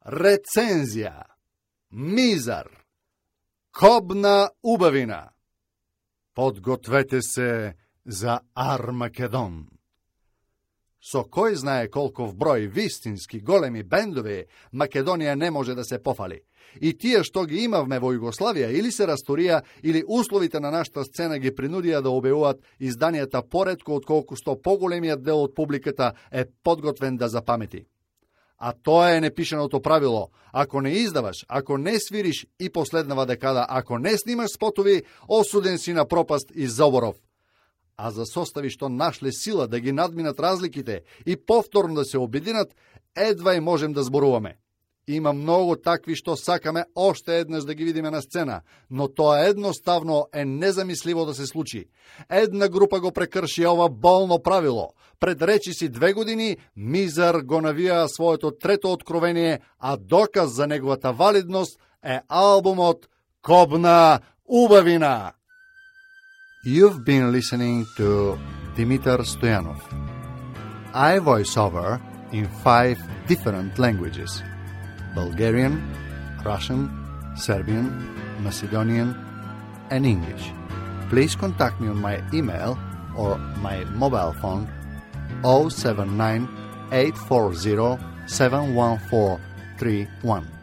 рецензија, мизар, кобна убавина. Подгответе се за Армагедон. Со кој знае колков број вистински големи бендови Македонија не може да се пофали. И тие што ги имавме во Југославија или се расторија, или условите на нашата сцена ги принудија да објавуваат изданијата поретко отколку што поголемиот дел од публиката е подготвен да запамети. А тоа е непишаното правило. Ако не издаваш, ако не свириш и последнава декада, ако не снимаш спотови, осуден си на пропаст и заборов. А за состави што нашле сила да ги надминат разликите и повторно да се обединат, едва и можем да зборуваме. Има многу такви што сакаме оште еднаш да ги видиме на сцена, но тоа едноставно е незамисливо да се случи. Една група го прекрши ова болно правило. Пред речиси 2 години Мизар го навија своето трето откровение, а доказ за неговата валидност е албумот Кобна убавина. You've been listening to Dimitar Stoyanov. I voice over in 5 different languages: Bulgarian, Russian, Serbian, Macedonian, and English. Please contact me on my email or my mobile phone 079 840 71431.